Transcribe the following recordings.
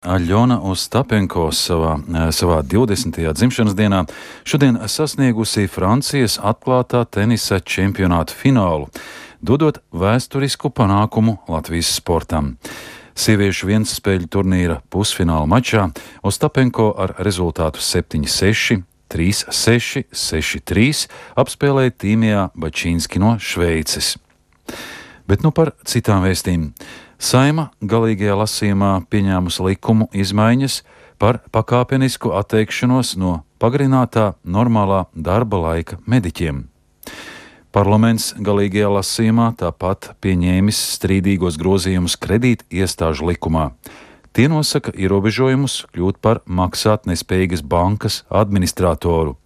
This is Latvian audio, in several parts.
Aļona Ostapenko savā 20. dzimšanas dienā šodien sasniegusi Francijas atklātā tenisa čempionāta finālu, dodot vēsturisku panākumu Latvijas sportam. Sieviešu vienspēļu turnīra pusfināla mačā Ostapenko ar rezultātu 7-6, 3-6, 6-3 apspēlēja Tīmijā Bačīnski no Šveices. Bet nu par citām vēstīm. Saeima galīgajā lasījumā pieņēmusi likumu izmaiņas par pakāpenisku atteikšanos no pagarinātā normālā darba laika mediķiem. Parlaments galīgajā lasījumā tāpat pieņēmis strīdīgos grozījumus kredīt iestāžu likumā. Tie nosaka ierobežojumus kļūt par maksātnespējīgas bankas administratoru.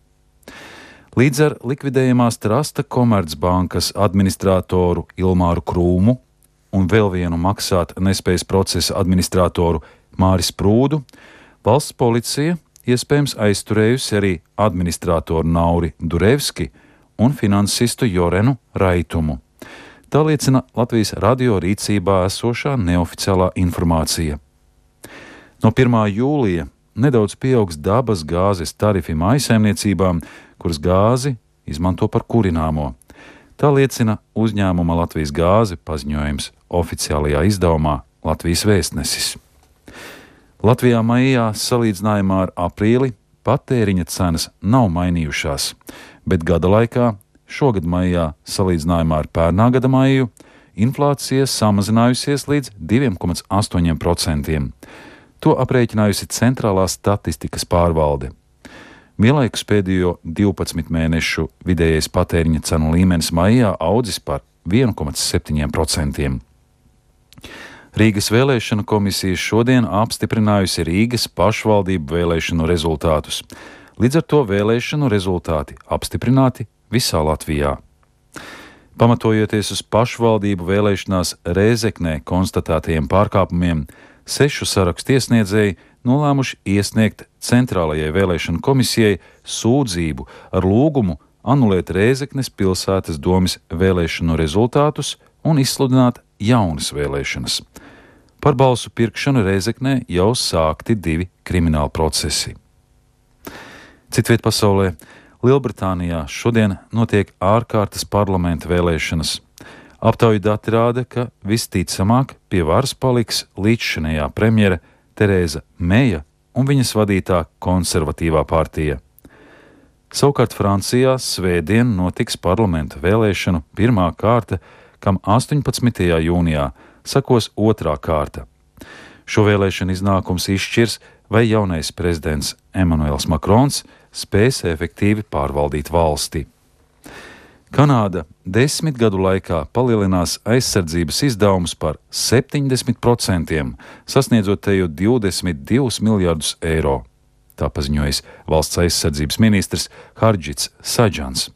Līdz ar likvidējamās trasta Komercbankas administratoru Ilmāru Krūmu un vēl vienu maksāt nespējas procesa administratoru Māris Prūdu, valsts policija iespējams aizturējusi arī administratoru Nauri Durevski un finansistu Jorenu Raitumu. Tā liecina Latvijas radio rīcībā esošā neoficiālā informācija. No 1. jūlija nedaudz pieaugs dabas gāzes tarifi mājsaimniecībām, kuras gāzi izmanto par kurināmo. Tā liecina uzņēmuma Latvijas gāze paziņojums oficiālajā izdevumā Latvijas vēstnesis. Latvijā maijā salīdzinājumā ar aprīli patēriņa cenas nav mainījušās, bet gada laikā, šogad maijā salīdzinājumā ar pērnā gada maiju, inflācija samazinājusies līdz 2,8%. To aprēķinājusi Centrālā statistikas pārvalde. Vienlaikus pēdējo 12 mēnešu vidējais patēriņa cenu līmenis maijā audzis par 1,7%. Rīgas vēlēšanu komisija šodien apstiprinājusi Rīgas pašvaldību vēlēšanu rezultātus. Līdz ar to vēlēšanu rezultāti apstiprināti visā Latvijā. Pamatojoties uz pašvaldību vēlēšanās Rēzeknē konstatētajiem pārkāpumiem, 6 sarakstu iesniedzēji nolēmuši iesniegt Centrālajai vēlēšanu komisijai sūdzību ar lūgumu anulēt Rēzeknes pilsētas domes vēlēšanu rezultātus un izsludināt jaunas vēlēšanas. Par balsu pirkšanu Rēzeknē jau sākti 2 krimināli procesi. Citviet pasaulē, Lielbritānijā šodien notiek ārkārtas parlamenta vēlēšanas. Aptauju dati rāda, ka visticamāk pie varas paliks līdzšinējā premjere Terēza Meja un viņas vadītā konservatīvā partija. Savukārt Francijā svētdien notiks parlamenta vēlēšanu pirmā kārta, kam 18. jūnijā sekos otrā kārta. Šo vēlēšanu iznākums izšķirs, vai jaunais prezidents Emmanuels Makrons spēs efektīvi pārvaldīt valsti. Kanāda 10 gadu laikā palielinās aizsardzības izdevumus par 70%, sasniedzot teju 22 miljardus eiro. Tā paziņojis valsts aizsardzības ministrs Hardžits Sadžans.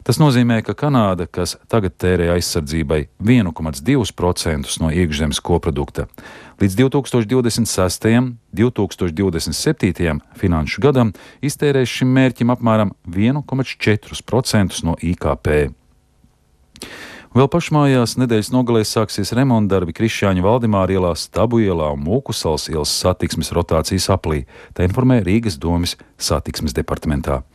Tas nozīmē, ka Kanāda, kas tagad tērē aizsardzībai 1,2% no iekšzemes koprodukta, līdz 2026. un 2027. finanšu gadam iztērēs šim mērķim apmēram 1,4% no IKP. Vēl pašmājās nedēļas nogalē sāksies remontdarbi Krišjāņa Valdemāra ielā, Stabu ielā un Mūkusalas ielas satiksmes rotācijas aplī, tā informē Rīgas domes satiksmes departamentā.